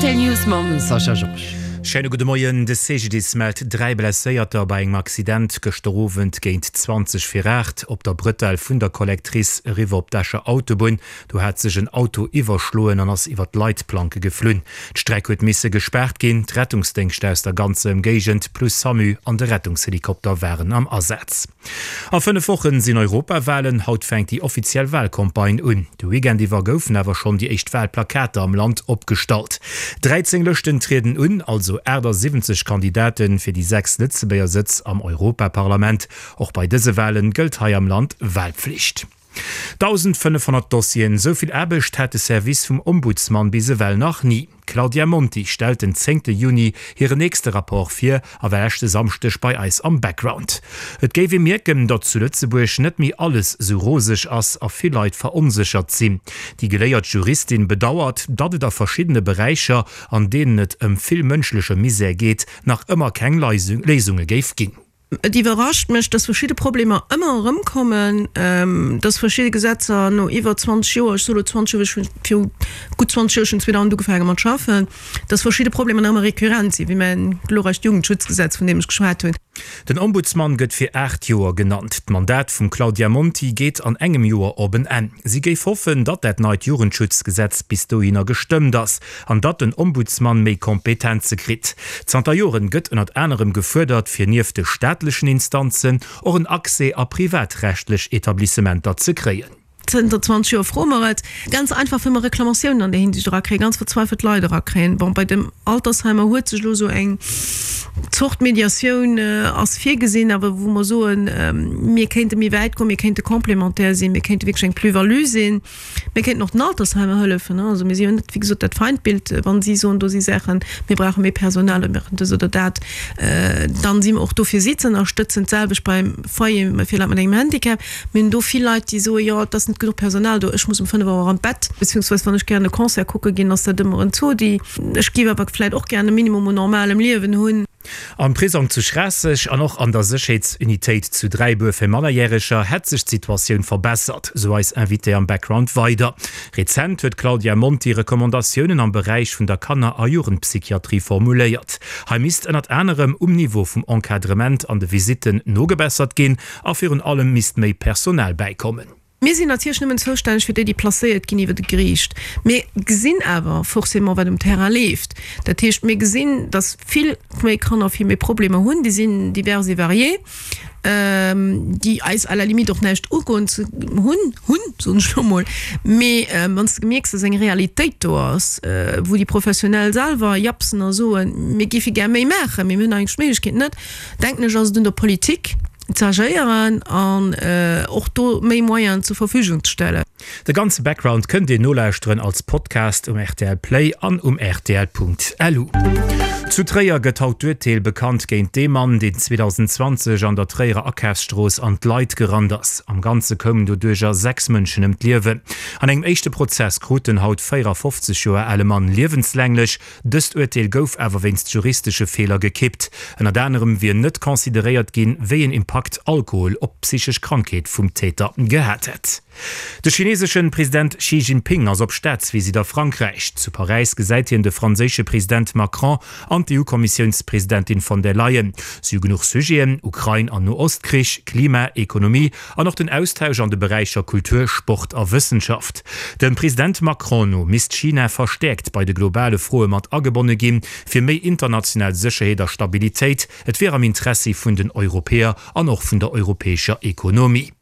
Rtl News mam Sascha Georges. Schéine gudde Moien. De CGDIS mellt 3 Blesséierter bei engem Accident gëschter Owend géint 20 vir 8 op der Bretelle vun der Collectrice eriwwer op d'Escher Autobunn. Do hat sech en Auto iwwerschloen an ass iwwer d'Leitplanke geflunn. D'Streck huet misse gespaart ginn. D'Rettungsdéngschter aus der ganzer Ëmgéigend plus Samu an de Rettungshelikopter waren am Asaz. A 5 Wochen sinn Europawalen, haut fänkt déi offiziell Walcampagne un. De Weekend iwwer goufen awer schonn déi éischt Walplakater am Land opgestallt. 13 Lëschten trieden un, also 78 Kandidate fir déi 6 Lëtzebuerger Sëtz am Europaparlament. Och bei dëse Walen gëllt hei am Land Walpflicht. 1.500 Dossieren, esou vill Aarbecht hat de Service vum Ombudsman bis ewell nach ni. D'Claudia Monti stellt den zéngte Juni hiren nächste Rapport vir a war leschte Samschdeg bei eis am Background. Et géif ee mierken, datt zu Lëtzebuerg net méi alles sou roseg ass a vill Leit veronséchert sinn. Déi geléiert Juristin bedauert, datt et a verschiddene Beräicher, an deenen et ëm vill mënschleche Misär geet, nach ëmmer keng Léisunge géif ginn. Et iwwerrascht mech, dass verschidde Problemer ëmmer erëmkommen, dass verschidde Gesetzer no iwwer 20 Joer, ech soe lo 20 Joer, ech hunn viru gutt 20 Joer, ech hunn 2000 ugefaange mat schaffen, dass verschidde Problemer nach ëmmer récurrent sinn, wéi mäin glorreicht Jugendschutzgesetz, vun deem ech geschwat hunn. Den Ombudsmann gëtt fir 8 Joer genannt. D'Mandat vum Claudia Monti geet an engem Joer op en Enn. Si géif hoffen, datt dat neit Jugendschutzgesetz bis dohinner gestëmmt ass. An datt den Ombudsmann méi Kompetenze kritt. Zanter Joren gëtt ënnert anerem gefuerdert, fir nieft de staatlechen Instanzen och en Accès a privatrechtlech Etablissementer ze kréien. Zënter 20 Joer froe mer et. Ganz einfach, wëll mer Reklamatiounen an där Hinsicht erakréien, ganz verzweifelt Leit erakréien. Bon, bei dem Altersheimer huet sech elo esou eng Zort Mediatioun ass virgesinn, awer wou mer soen, mir kéinte méi wäit goen, mir kéinte complémentaire sinn, mir kéinte wierklech eng Plus-value sinn. Mir kéinten och den Altersheimer hëllefen. Also mir si jo net, wéi gesot, dat Feindbild. Wa si soen, do si Saachen, mir brauche méi Personal oder mir brauchen dës oder dat, dann si mer och do fir si ze ënnerstëtzen. D'selwecht beim Foyer fir Leit mat engem Handicap. Mir hunn do vill Leit, déi soen, jo, et ass net genuch Personal do, ech muss um 5 Auer an d'Bett. Beziehungsweise wann ech gären e Concert kucke ginn, ass dat ëmmer en Zodi. Ech géif awer vläicht och gären e Minimum un normalem Liewen hunn. Am Prisong zu Schraasseg an och an der Sécherheetsunitéit zu Dräibuer fir Mannerjäreger hätt sech d'Situatioun verbessert, sou eis Invitée am Background weider. Rezent huet d'Claudia Monti Recommandatiounen am Beräich vun der Kanner a Jugendpsychiatrie formuléiert. Hei misst ënnert anerem um Niveau vum Encadrement an de Visitten nogebessert ginn a virun allem misst méi Personal bäikommen. Mir sinn natierlech nëmmen zoustänneg fir déi, déi placéiert ginn iwwer e Geriicht. Mir gesinn awer forcément, wat um Terrain leeft. Dat heescht, mir gesinn, datt vill méi Kanner vill méi Problemer hunn. Déi sinn divers et variés, déi eis à la limite och näischt ugoen ze hunn, hunn, soen ech elo mol. Mee wann s de mierks, datt eng Realitéit do ass, wou déi Professionell selwer japsen a soen, mir géife gär méi maachen, mee mir hunn eigentlech d'Méiglechkeet net, denken ech, ass et un der Politik ze agéieren an och do méi Moyenen zur Verfügung ze stellen. De ganze Background kënnt Dir nolauschteren als Podcast um rtl Play an um rtl.lu. Zu Tréier gëtt haut d'Urteel bekannt géint dee Mann, deen 2020 an der Tréierer Akafsstrooss an d'Leit gerannt ass. Am Ganze koumen doduercher 6 Mënschen ëm d'Liewen. An engem éischte Prozess krut den haut 54 Joer ale Mann liewenslänglech Dëst Urteel gouf awer wéinst juristesche Feeler gekippt. Ënnert anerem wier net consideréiert ginn, wéi een Impakt Alkohol op d'psychesch Krankheet vum Täter gehat hätt. De chineeseschen President Xi Jinping ass op Staatsvisitt a Frankräich. Zu Paräis gesäit hien de franséische President Macron an d'EU-Kommissiounspresidentin von der Leyen. Si hu genuch Sujeten, Ukrain an No-Ost-Krich, Klima, Ekonomie an och den Austausch an de Beräicher Kultur, Sport a Wëssenschaft. Dem President Macron no misst China verstäerkt bei de globale Froe mat agebonne ginn, fir méi international Sécherheet a Stabilitéit. Et wier am Interessi vun den Europäer an och vun der europäescher Ekonomie.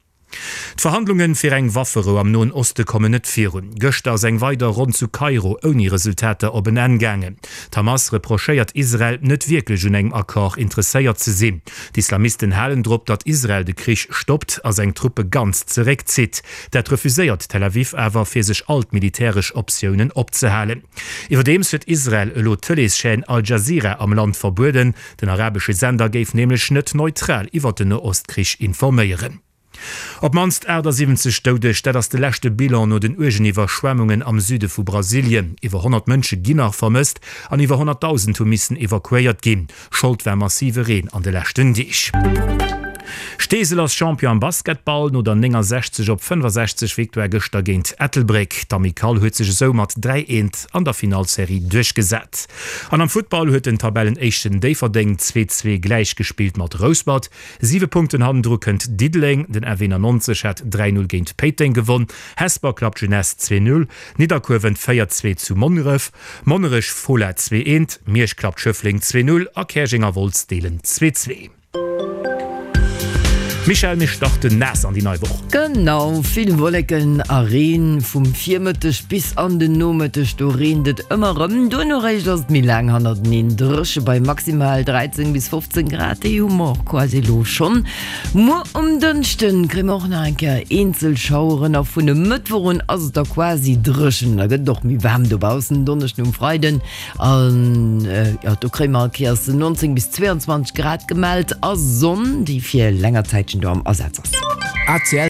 D'Verhandlunge fir eng Wafferou am Noen Oste kommen net virun. Gëschter ass eng weider Ronn zu Kairo ouni Resultater op en Enn gaangen. D'Hamas reprochéiert Israel, net wierklech un engem Accord interesséiert ze sinn. D'Islamisten halen drop, datt Israel de Krich stoppt a seng Truppe ganz zeréckzitt. Dat refuséiert Tel Aviv awer, fir sech all d'militäresch Optiounen opzehalen. Iwwerdeems huet Israel elo d'Tëleeschaîne Al Jazeera am Land verbueden. Den arabesche Sender géif nämlech net neutral iwwer den Noostkrich informéieren. Op d'mannst 78 Doudeg, dat ass de leschte Bilan no den uergen Iwwerschwemmungen am Süde vu Brasilien. Iwwer 100 Mënsche ginn nach vermësst an iwwer 100.000 hu missen evakuéiert ginn. Schold war massive Reen an de leschten Deeg. Steesel ass Champion am Basketball no der 69 op 65 Victoire gëschter géint Ettelbréck. D'Amicale huet sech esou mat 3, 1 an der Finallserie duerchgesat. An am Futtball huet den Tabellenéischten Déifferdeng 2, 2 gläich gespillt mat Rouspert. 7 Punkten hannendru kënnt Diddeleng. Den F91 hat 3, 0 géint Péiteng gewonn. Hesper klappt Jeunesse 2, 0, Nidderkuer wënnt 4, 2 zu Monneref, Monnerech Fola 2, 1, Miersch klappt Schëffleng 2, 0 a Käerjeng a Wolz deelen 2, 2. Michèle, mir starten naass an déi nei Woch. Genau, vill Wolleken a Reen vum Virmëtteg bis an den Nomëtteg, do reent et ëmmer erëm. Duerno réischt ass et méi laang hannerteneen dréche bei maximal 13 bis 15 Grad, déi hu mer och quasi elo schonn. Muer um Dënschden kréie mer och nach eng Kéier eenzel Schaueren a vun e Mëttwoch un ass et da quasi dréchen, da gëtt et och méi waarm dobaussen. Donneschden um Freiden An jo, do kréie mer all Kéiers 19 bis 22 Grad gemellt a Sonn, déi fir länger Zäitchen do am Asaz ass. ACL.